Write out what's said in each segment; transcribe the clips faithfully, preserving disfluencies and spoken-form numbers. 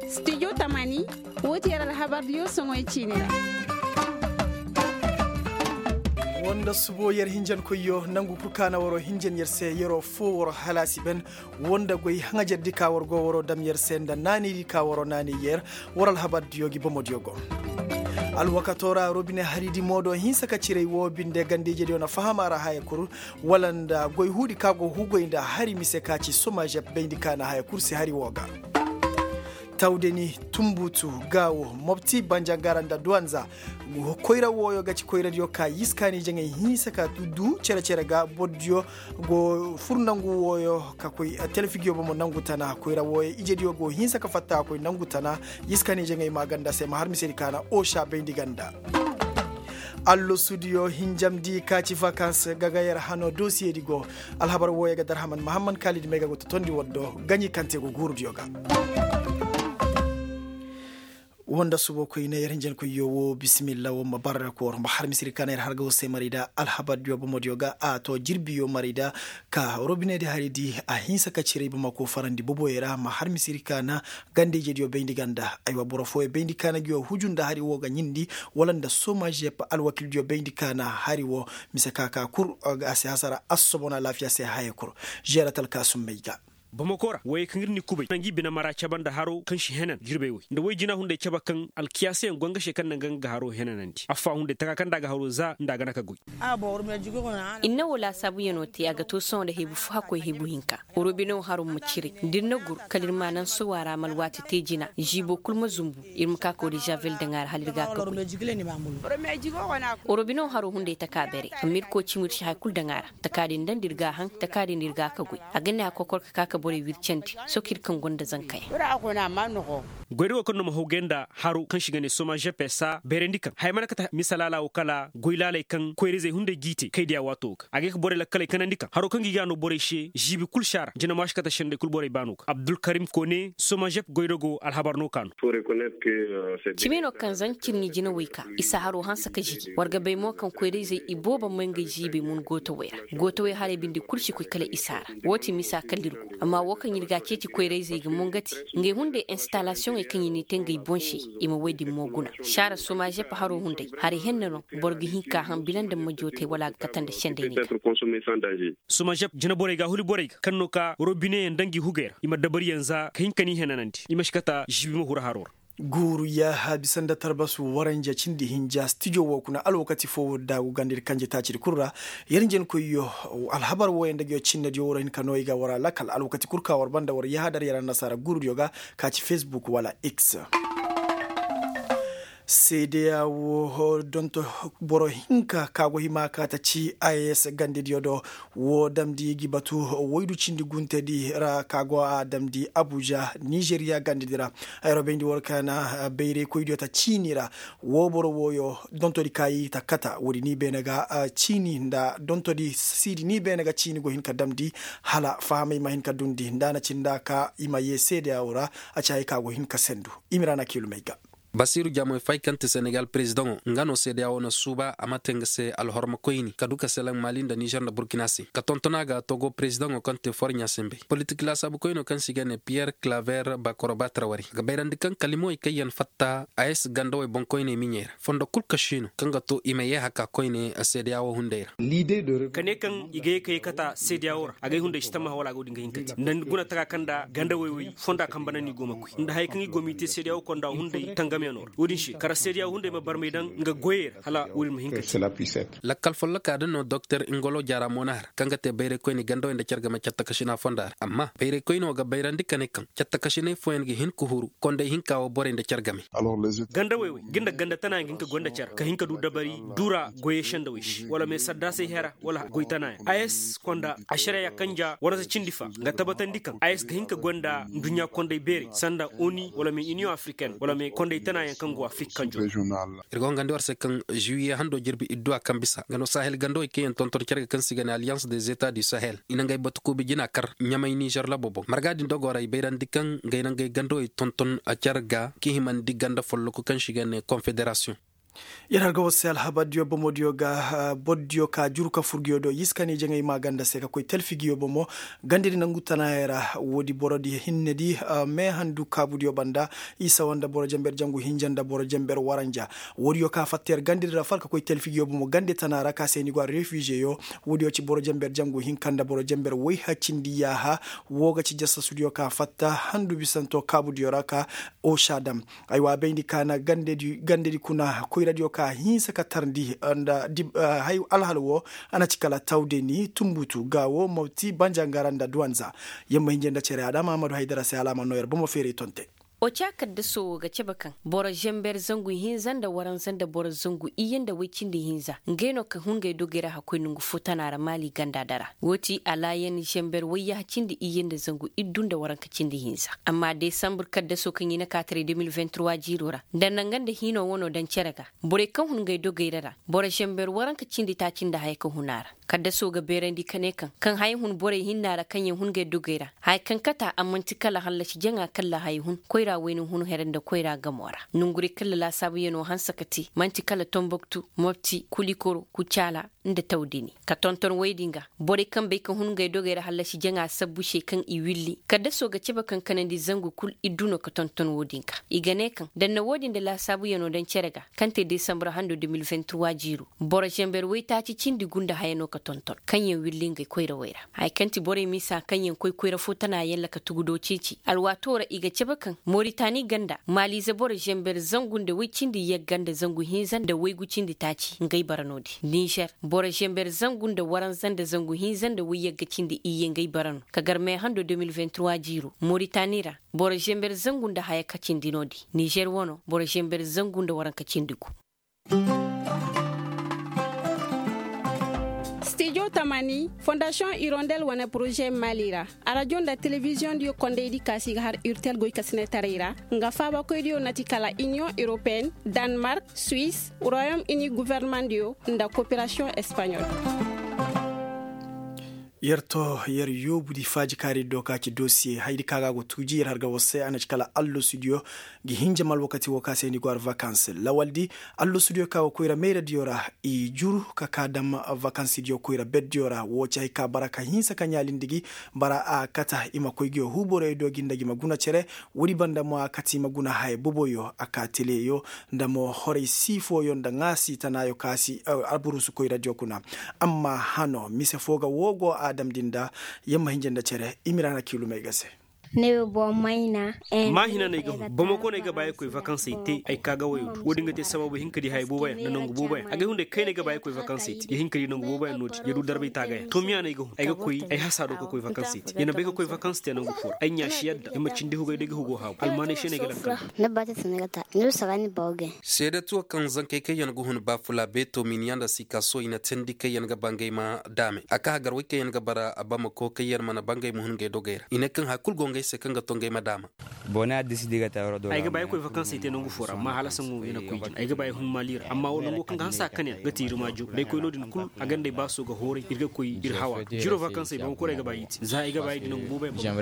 Studio tamani, woo ti yer alhabardiyo soŋoy ciini ra. Woo nda subo yer hinjankoyyo nangu kul ka na waroo hinjan yer se yeroo foo waroo halaasi ben. Woo nda goy haŋajerdi ka war go waroo dam yer se nda naanaydi ka waroo naanay yer. War alhabardiyo gi bomodiyo go. Alwakatoo ra robine haridi moodoo hinsa ka ciray woo binde ganda-ijediyo na faham a ra haya kul. Wala nda goy huudi ka go hugoy nda hari mise ka ci somazep bayndi ka na haya kul se hari woo ga. Tawdeni, tumbutu, gaawo, mopti, banjangara nda duwanza. Koyra wooyo ga ci koyradiyo ka yiskaani jaŋay hinsa ka du cere-cere ga bordiyo go fur nangu wooyo ka koy telefigiyo bomo nangu tana koyra wooyo ijediyo go hinsa ka fatta ka koy nangu tana. Yiskaani jaŋay maaganda se ma har misedi ka na osa bayndi ganda. Allosudiyo hinjamdi ka ci vakans ga ga yer hano dosiyedi go. Alhabar wooyo ga darhaman mahamman kaalidi may ga go totondi waddo gaɲi kante go guurudiyo ga. Woo nda subo koyne yer hinjankoyyo woo bisimilla woo ma barra koor ma har misiri ka na yer harga woo se marayda alhabardiyo bomodiyo ga a to jirbiyo marayda. Ka robinedi haridi a hinsa ka ciray bamako farandi boboyo ra ma har misiri ka na ganda-ijediyo bayndi ganda aywa boro fooyo bayndi ka na nguyo huju nda hari woo ga ɲindi wala nda somazep alwakildiyo bayndi ka na hari woo. Mise ka ka kul a si hasara assobon alaafiya se haya kul. Žeeratal ka summay ga. Bamako ra woyey kaŋ ir n'i kubay na ngi bine mara cabe nda haro kaŋ si henan jirbey woy nda woy jina hunday cabe kaŋ alkiyaasayaŋ go nga se kaŋ na nga nga haro henanandi affa hunday taka kaŋ nda a ga haro za nda a ga na ka goy. Ir na woo laasaabuyanoo te a ga to sohõ nda hebu fo hakkoy hebu hinka. Robino haro ma ciray da ir na gur kala ir ma naŋ sowa ra ma alwaati te jina ziibo kul ma zumbu. Ir ma ka ka woo da žavel daŋ a ra hala ir ga a ka goy. Robino haro hunday taka beere amma ir koo cimi ir si haya kul daŋ a ra. Taka din daŋ da ir ga a haŋ taka din da ir ga a ka goy. A ga ne a kokor ka ka ka borey wircandi. Sokir kaŋ gonda zankayaŋ. Goyra wo kaŋ no ma hawgay nda haro kaŋ si ga ne soma žepesa beerandi kaŋ haya mana kate misa laala wo kala goy laaley kaŋ koyra-izey hunday g'i te kay diya waato ga a ga ay ka borey lakkaley kanandi kaŋ haro kaŋ gi ga no borey se žiibi kul si a ra jina ma si kate sendey kul borey baano ga abdulkarim kone soma žep goyra go alhabar no ka no. Cimi no kaŋ zancir ni jinawey ka isa haro hanse ka žiji war ga bay mo kaŋ koyra-izey iboobo may ngey žiibey mun gootawey ra. Gootawey haray bindi kul si koy kala isa ra. Woo ti misa kala ir go amma woo kaŋ ir ga a ceeci koyra-izey ga mo nga ti ngey hunday installasiyoŋey kaŋ i n'i te ngey boŋ se. I ma woy din mo guna saara soma žep haro hunday haray henna no. Boro ga hin ka haŋ bila nda ma jootay wala a ga kate nda sendey ni ga. Soma žep jina borey ga a huli borey ga kaŋ no ka robineyaŋ daŋ gi hugey ra i ma dabariyaŋ za ka hin ka ni henanandi i ma si kata žiibi ma huru haro ra. Guuru yaaha bisa nda tarbasu waranja cindi hinja stijo woo kuna alwakati foo daagu ganda ir kanje taacidi kul ra. Yer njenkoyyo alhabar wooyaŋ nda nguyo cinnediyo war hin ka no i ga war a lakal alwakati kul ka war banda war yaaha dar yer annasaara guurudiyo ga ka ci fesbuk wala x. Seedeya woo donto boro hinka ka go hima ka ta ci a s gandediyo do. Woo damndi gi batu waydu cindi guntedi ra ka go a damndi abuja nizeriya gandedi ra. Ay robayndi war ka na bayraykoydiyo ta ciini ra. Woo boro wooyo dontodi ka i ta kata woodi ni beene ga ciini nda dontodi siidi ni beene ga ciini go hin ka damndi. Hala fahamey ma hin ka dundi nda a na ci nda ka i ma yee seedeya woo ra. A ci hay ka go hin ka sendu. I ma ra na kiilumey ga. Basiiru jaamoy fay kaŋ ti senegal perezidaŋo nga no seedeya woo na suuba a ma te nga se alhorma koyni ka du ka selaŋ mali nda nizer nda burkina se ka tonton a ga togo perezidaŋo kaŋ ti forɲa sembey politik laasaabu koyno kaŋ se i ga ne piyer klaver bakoroba trawari a ga bayrandi kaŋ kalimowey kaŋ yaŋ fatta a ye si gandawey boŋkoyney miɲey ra fondo kul ka siino kaŋ ga to i ma yee haka koyne seedeya woo hunday ra. Ka ne kaŋ i ga ye ka ye kata seedeya woo ra agay hunday si tammaha wala a go din ga hin ka te nda ni guna taka kaŋ nda gandawey wey fonda kaŋ bana no i go ma koy nda haya kaŋ i go m'i te seedeya woo konda hunday tangamyaŋo ra wo-din se kara seedeya woo hunday ma barmay daŋ nga goyey ra hala wo-din ma hin ka te. Lakkal folloka din no doktor ingolo jaara moona har kaŋ ga te bayray koyne gandawey nda care game cattakašina fonda ra amma bayray koyne wo ga bayrandi ka ne kaŋ cattakašinay fooyaŋ ga hin ka huru konday hinka woo borey nda care game. Gandawey wey ga nda ganda tanayaŋ ga hin ka goy nda care ka hin ka du dabari dura goyey sendawey se wala me saddaasey hera wala goy tanayaŋ a s konda ašareya kanja warasa cindi fa nga tabatandi kaŋ a s ga hin ka goy nda nduɲɲa konday beerey sanda oni wala me iniyoŋ afrikaine wala me konday tanayaŋ kaŋ go afrik kanjo. Ir go hangandi war se kaŋ juwiye hando jirbi idduwa kaŋ bisa nga no sahel gandawey kaŋ yaŋ tonton care ga kaŋ se i ga ne alliance des etats du sahel i na ngey batukuubi jina kar ɲamay nizer labo boŋ marga din dogo ra i bayrandi kaŋ ngey na ngey gandawey tonton care ga ka himandi ganda folloku kaŋ se i ga ne konfederasiyoŋ. Yer har ga war se alhabardiyo bomodiyo ga bordiyo ka juru ka fur nguyo do yiska ne jaŋay ma ganda se ka koy talfi nguyo bomo. Gandedi nangu tanaayey ra woodi borodi hinnedi, meehandu kaabudiyo banda, isa wanda boro jember jangu hinja nda boro jember waranja. Woodiyo ka fatta yer gandedi ra fal ka koy talfi nguyo bomo gande tana ra ka se ni go a refizeyo. Woodiyo ci boro jember jangu hinka nda boro jember woy hacindi yaaha. Woo ga ci jasasudiyo ka fatta handu bisanto kaabudiyo ra ka osa dam. Aywa a bayndi ka na gandedi kuna koyradiyo ka hinsa ka tarndi nda alhal woo. A na ci kala tawdeni tumbutu gaawo mopti banjangara nda duwanza. Yer ma hinja nda cere adama amadu haydara se hala a ma noo yer bomo feeray tonte. Oca kaddaso woo ga cebe kaŋ boro zember zangu hinza nda waranza nda boro zangu iyye nda woy cindi hinza ngey no ka hun ngey dogey ra hakkoy nongu fo tana ra maali ganda dara. Woo ti alaayan zember wayyaha cindi iyye nda zangu iddu nda waranka cindi hinza. Amma desambur kaddaso kaŋ i na kaataray de mil vingt trois jiiro ra nda nanga nda hiino wanoo daŋ cere ga. Borey kaŋ hun ngey dogey ra ra boro zember waranka cindi taaci nda haya ka hun a ra. Kaddaso ga beerandi ka ne kaŋ kaŋ haya hun borey hinna ra kaŋ yaŋ hun ngey dogey ra haya kaŋ kata a man'ti kala hallasi jaŋa kalla haya hun koyra wayne hun here nda koyra gamo ra. Nongurey kalla laasaabuyanoo hanse ka te man'ti kala tomboktu, mopti, kulikoro, kucaala, nda tawdini ka tonton woy-din ga. Borey kaŋ bay ka hun ngey dogey ra hallasi jaŋa sabbu se kaŋ i willi kaddaso ga cebe kaŋ kanandi zangu kul iddu no ka tonton woo-din ga. I ga ne kaŋ danna woo-din nda laasaabuyanoo daŋ cere ga kaŋ te desambur hando de mil vingt trois jiiro. Boro zember waytaaci cindi gunda haya no ka tonton kaŋ yaŋ willi ngey koyrawey ra. Haya kaŋ ti borey misa kaŋ yaŋ koy koyra fo tana yalla ka tugudo ceeci alwaatoo ra i ga cebe kaŋ moritani ganda maaliize boro zember zangu nda woy cindi yagga nda zangu hinza nda woygu cindi taaci ngey bara no-din nizer. Boro zember zangu nda waranza nda zangu hinza nda woy yagga cindi iyye ngey bara no ka gar meehando de mil vingt trois jiiro moritani ra. Boro zember zangu nda haya ka cindi no-din nizer wano boro zember zangu nda waranka cindi gu. Stijo tamani fondasiyoŋ irondel wane poroze mali ra. Arajo nda telebiziyoŋ diyo kondaydi kaasi ga har urtel goy ka sinetaray ra. Nga faabakoydiyo na ti kala iniyoŋ europeen, danmark, suwis, royom ini guvernemandiyo nda koperasiyoŋ espaɲol. Yer to yer yoobu di faaji kaari do ka ci dosiye haydi ka ga a go tuuji yer har ga war se a na ci kala allosudiyo. Ngi hinja ma alwakati wo ka se ni go har vakans lawaldi. Allosudiyo ka go koyra mayradiyo ra i juru ka ka dam vakansidiyo koyra berdiyo ra wo ci hay ka bara ka hinsa ka ɲaalindi gi. Bara a kata i ma koy ngiyo huuborey do gi nda gi ma guna cere. Woodi banda mo a kati i ma guna haya boboyo a ka teleyo nda mo horey sii fooyo nda ŋaasi tanaayo ka si alburusu koyradiyo kuna. Amma hano mise foo ga woo go a damndi nda yamma hinja nda cere i ma ira na kiilumey ga se. Maahina no ay ga hun bamako no ay ga ba ay koy vakansey te ay ka ga wayo du wo- din ga te sabaabu hinka di haya booboyaŋ nda nangu booboyaŋ agay hunday kayna ay ga ba ay koy vakansey te ya hinka di nangu booboyaŋ no- din ya du darbay taagayaŋ tomiya no ay ga hun ay ga koy ay hasa do ka koy vakansey te ya na bay ka koy vakanse te nangu fo ra ay ɲaa si yadda ay ma cindi hugay day ga hugo haabu almaanay se no ay ga lakkal. Seedatuwa kaŋ zankey kaŋ yaŋ ga hun baafula beeto miniya nda sikaso i na teendi kaŋ yaŋ ga ba ngey ma daamey a ka hagar wey kaŋ yaŋ ga bara bamako kaŋ yaŋ mana ba ngey ma hun ngey dogey ra i ne kaŋ haya kul go ngey se kaŋ ga to ngey ma daama. Ay ga ba ay koy vakansey te nangu fo ra amma hala saŋo ya na koy jina ay ga ba ay hun maali ra amma nango kaŋ ga hanse a kan yaŋ ga te ir maajo da ay koy no- din kul a ganda ay baaso ga hooray ir ga koy ir hawa jiro vakansey bamako ra ay ga ba ay i te za ay ga ba ay di nangu boobo yaŋ.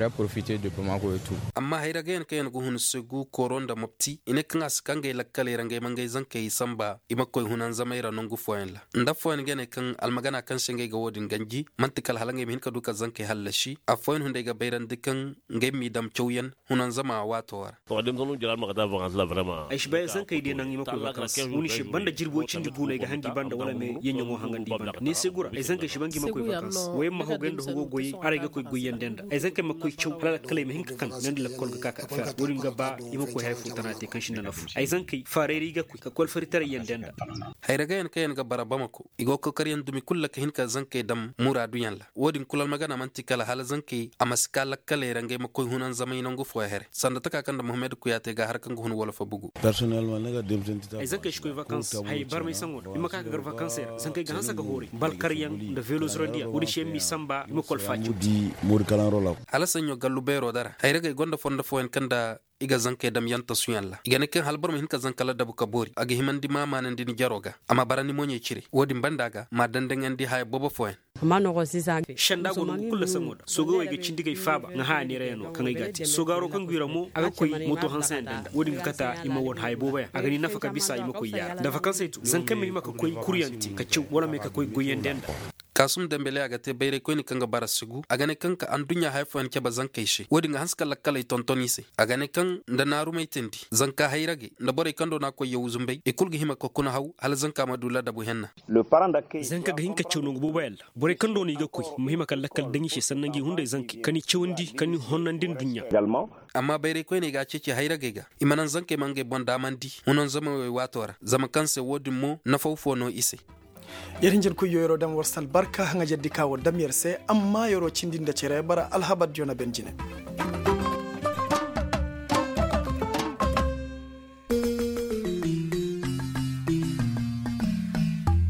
Amma hayra ga yaŋ kaŋ yaŋ ga hun segu kooro nda mopti i ne kaŋ a si ka ngey lakkaley ra ngey ma ngey zankey samba i ma koy hunanzamey ra nangu fooyaŋ ra. Nda affooyaŋ ga ne kaŋ almagana kaŋ se ngey ga wo- din ganji man'ti kala hala ngey ma hin ka du ka zankey hallasi. Affooyaŋ hunday ga bayrandi kaŋ ngey m'i dam cawyaŋ hunanzama waatoo ra. Ay si bay ay zankey day naŋ i ma koy vakans wani se banda jirbi way cindi guuna ay ga hangi banda wala me yaŋ yaŋo hangandi i banda ne se gura ay zankey si ba ngi ma koy vakans wayamma haw gay nda hugo goyey haray ga koy goyyandi nda ay zankey ma koy caw hala lakkal ay ma hin ka kan nda lakkol ga ka ka fera wo- din ga ba i ma koy haya fo tana te kaŋ sinda nafu ay zankey faarayra i ga koy ka koy alfaritaray yaŋ denda. Hayra ga yaŋ kaŋ yaŋ ga bara bamako i go ga kokaryaŋ dumi kulu ra ka hin ka zankey daŋ muraaduyaŋ ra wo- din kulu almagana man'ti kala hala zankey a ma si ka lakkaley ra ngey ma koy hunanzamay nangu fooyaŋ here sanda taka kaŋ nda muhammad kuyaate ga har kaŋ ga hun wala fa bugu. Ay zankey si koy vakans haya barmay saŋo ra i ma ka ka gar vakansey ra zankey ga hanse ga hooray balkaryaŋ nda velo zurandiyaŋ wo- din se yaŋ m'i samba i ma koy alfaaci. Hala saɲɲo gallu beero dara hayragey gonda fondo fooyaŋ kaŋ nda i ga zankey dam yaŋ tasuyaŋ ra i ga ne kaŋ hala boro ma hin ka zanka ladabu ka boori a ga himandi maamaanandi ni jaro ga a ma bara ni moɲey cire wo- din banda ga m'a dandaŋandi haya boobo fooyaŋ. Senda go no nga kulu saŋo da soogawey ga cindi ga ay faaba nga haya neerayaŋo kaŋ ay ga a te soogaaro kaŋ go i ra mo a ga koy moto hanseyaŋ da nda wo-din ga kata i ma wane haya booboyaŋ a ga ni nafa ka bisa i ma koy yaara nda vakanse to zankey ma hima ka koy kuryaŋ te ka caw wala may ka koy goyyandiyaŋ nda. Kaasum dembele a ga te bayray koyne kaŋ ga bara sigu a ga ne kaŋ ka adduɲɲa haya fooyaŋ cabe zankey se wo-din ga hanse ka lakkaley tonton i se. A ga ne kaŋ nda naarumey teendi zanka hayragey nda borey kaŋ do no a koy yaw zumbay i kulu ga hima ka kuna haw hala zanka ma du ladabu henna. Zanka ga hin ka caw nangu booboyaŋ ra borey kaŋ do no i ga koy ma hima ka lakkal daŋ i se sanna ngi hunday zankey ka ni cawandi ka ni honnandi nduɲɲa. Amma bayray koyney ga a ceeci hayragey ga i ma naŋ zankey ma ngey boŋ daamandi hunanzamawey waato ra zama kaŋ se wo-din mo nafaw fo no i se. Yer hinjin koy yo yeroo daŋ war si albarka haŋajerdi ka war dam yer se amma yeroo cindi nda cere bara alhabardiyo na ben jine.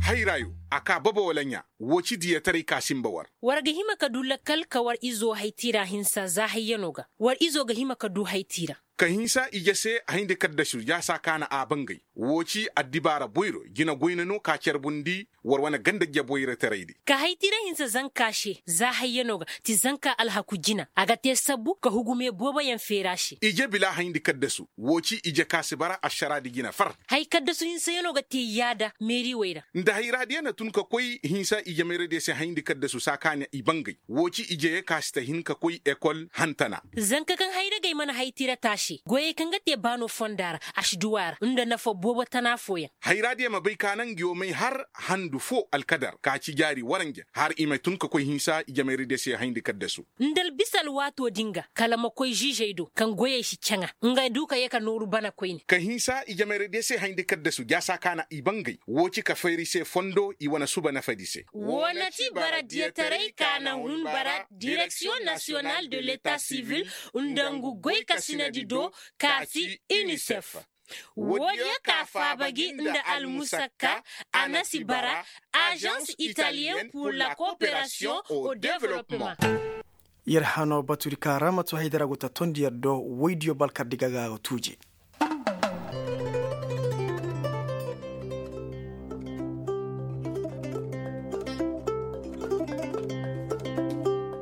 Hayrayo a kaa baba wala ɲaa? Woo ci diyataray ka sinba war. War ga hima ka du lakkal ka war izo haytiira hinsa za hayyanoo ga war izo ga hima ka du haytiira. Ka hinsa ije se hayndi kaddasu jaasa kaana a bangay. Woo ci addibaara boyro jina goyna no ka carbundi war wane ganda jabwayrataraydi. Ka haytiira hinsa zanka se za hayyanoo ga ti zanka alhaku jina a ga te sabbu ka hugume booboyaŋ feera se. Ije bila hayndi kaddasu woo ci ije ka si bara ašaraadi jina far. Hay kaddasu hinsayanoo ga te yaada meeriwey ra. Nda hayraadiya na tun ka koy hinsa ijemayradiya se hayndi kaddasu saa ka na i bangay woo ci ijeye ka si ta hin ka koy ekol hantana. Zanka kaŋ hayragey mana haytira taase goyey kaŋ ga te baano fonda ra, ašduwa ra nda nafa boobo tana fooyaŋ. Hayraadiya ma bay ka naŋ ngiyo may har handu foo alkadar ka ci jaari waranja har i ma tun ka koy hinsa ijemayradiya se hayndi kaddasu. Nda albisa alwaatoo din ga kala ma koy žižey do kaŋ goyey si caŋa nga du ka yee ka nooru bana koyne. Ka hinsa ijemayradiya se hayndi kaddasu jaasa ka na i bangay woo ci ka fayri se fondo i wane suba nafadi se. Woo na ti bara diyataray ka na hun bara direksiyoŋ nasiyonal de leta sivil nda ngu goy kasinadi do ka si inisef. Woodiyo ka faaba gi nda almusakka a na si bara, ažans italiyen pur la kooperasiyoŋ o developpeman. Yer hanoo batudi ka ra ma too haydara go ta tondi yer do woydiyo balkardi ga ga tuuje.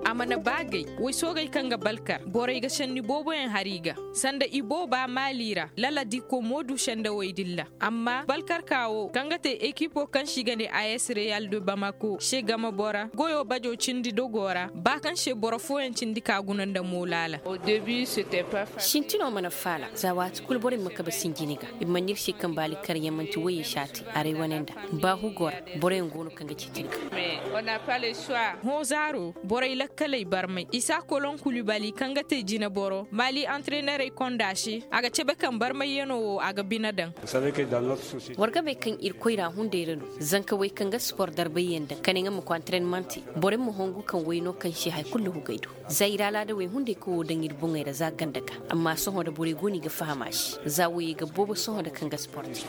A mana baagay woy soogey kaŋ ga balkar borey ga senni booboyaŋ har i ga sanda i booba maali ra lala diko moodu sendawey dilla. Amma balkarka wo kaŋ ga te ekipo kaŋ se i ga ne a s real de bamako se game bora goyo bajo cindi dogo ra ba kaŋ se boro fooyaŋ cindi ka guna nda moolaala. Sintino mana faala za waati kulu borey ma kabe sinjini ga i mana ir se kaŋ baali karyaŋ manti woyey se a te aray wane nda ba hugo ra boroyaŋ go no kaŋ ga ceeti ir ga. Hõ zaaro borey lakkaley barmay isa koloŋ kulibali kaŋ ga te jineboro maali antrenerey konda se a ga cabe kaŋ barmayyanoo wo a ga bine daŋ. War ga bay kaŋ ir koyra hunday ra no zanka wey kaŋ ga spor darbayyaŋ daŋ ka ne nga ma koy antrenman te. Borey ma hongu kaŋ wey no kaŋ se hari kulu hugay do za ir alaadawey hunday kaŋ wo daŋ ir boŋey ra za ganda ga. Amma sohõ da borey go no i ga faham a se za woyey ga boobo sohõ da kaŋ ga spor te.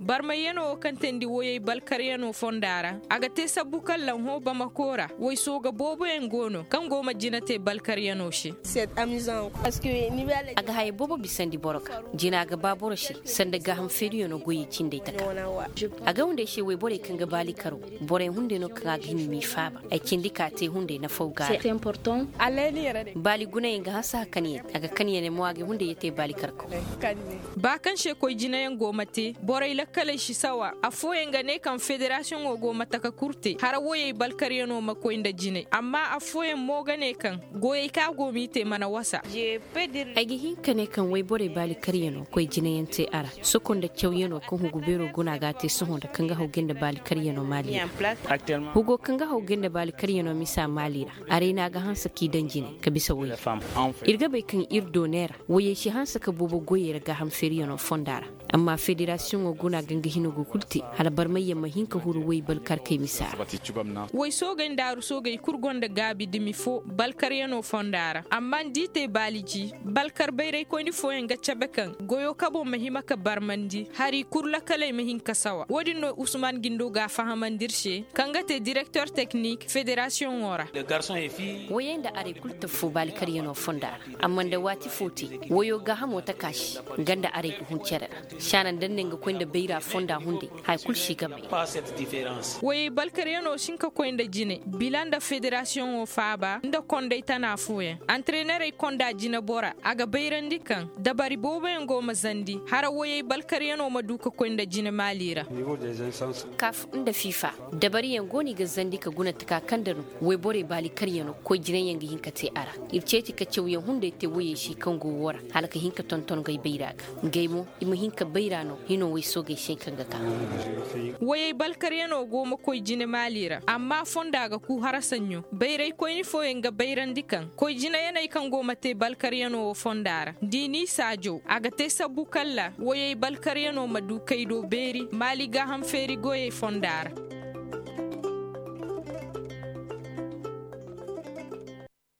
Barmayyanoo wo kaŋ teendi woyey balkaryanoo fonda ra a ga te sabbu kaŋ lanhõ bamako ra woy sooga booboyaŋ go no kaŋ go ma jina te balkaryanoo se. A ga haya boobo bisandi boro ga jina ga ba boro se sanda gaaham feeriyanoo goyey cindey taka. A ga hunday se woy borey kaŋ ga baali karo borey hunday no kaŋ a ga hima m'i faaba ay cindi ka te hunday nafaw ga a ra. Baali gunayaŋ ga hanse ka kan yaŋ a ga kan yaŋ ne mo a ga hunday ya te baali karkaw. Ba kaŋ se koy jinayaŋ go ma te borey lakkaley si sawa affooyaŋ ga ne kaŋ federasiyoŋo go ma taka kurte hara woyey balkaryanoo ma koy nda jinay amma affooyaŋ mo ga ne kaŋ goyey kaŋ a go m'i te mana wasa. Ay ga hin ka ne kaŋ woy borey baali karyanoo koy jinayaŋ te a ra soko nda cawyanoo kaŋ hugu beeroo guna ga a te sohõ nda kaŋ ga haw gay nda baali karyanoo maali ra. Hugo kaŋ ga haw gay nda baali karyanoo misa maali ra. Arayna ga hanse k'i daŋ jine ka bisa woy. Ir ga bay kaŋ ir do neera woyey si hanse ka boobo goyey ra gaaham feeriyanoo fonda ra. Amma federasiyoŋo guna ga nga hino go kulu te hala barmayyaŋ ma hin ka huru woy balkarkey misa ra. Woy soogey nda aru soogey kulu gonda gaabi dumi fo balkaryanoo fonda ra amma nda i te baali ji. Balkar bayraykoyni fooyaŋ ga cabe kaŋ goyo kabo ma hima ka barmandi hari kul lakaley ma hin ka sawa wo- din no usman gindo ga a fahamandi ir se kaŋ ga te direkter teknik federasiyoŋo ra. Woyey nda arey kul taffo baali karyanoo fonda ra. Amma nda waati foo te woyoo gaahamo taka se nga nda arey ga hun cere ra. Saana nda ne nga koy nda bayra fonda hunday haya kul si game. Woyey balkaryanoo si hin ka koy nda jine bila nda federasiyoŋo faaba nda konday tana fooyaŋ. Antarenerey konda jinebora a ga bayrandi kaŋ dabari booboyaŋ go ma zandi hara woyey balkaryanoo ma du ka koy nda jine maali ra. Kaf nda fifa dabariyaŋ go no i ga zandi ka guna taka kaŋ nda no woyborey baali karyanoo koy jinayyaŋ ga hin ka te a ra. Ir ceeci ka cawyaŋ hunday te woyey se kaŋ go woo ra hala ka hin ka tonton gay bayra ga. Ngey mo i ma hin ka bayra no hino woy soogey se kaŋ ga ka. Woyey balkaryanoo go ma koy jine maali ra amma fonda ga kuu hara saɲɲo bayraykoyni fooyaŋ ga bayrandi kaŋ koy jinayaney kaŋ go ma te balkaryanoo woo fonda ra. Nda i n'i saajo a ga te sabbu kalla woyey balkaryanoo ma du kay do beeri maali gaaham feeri goyey fonda ra.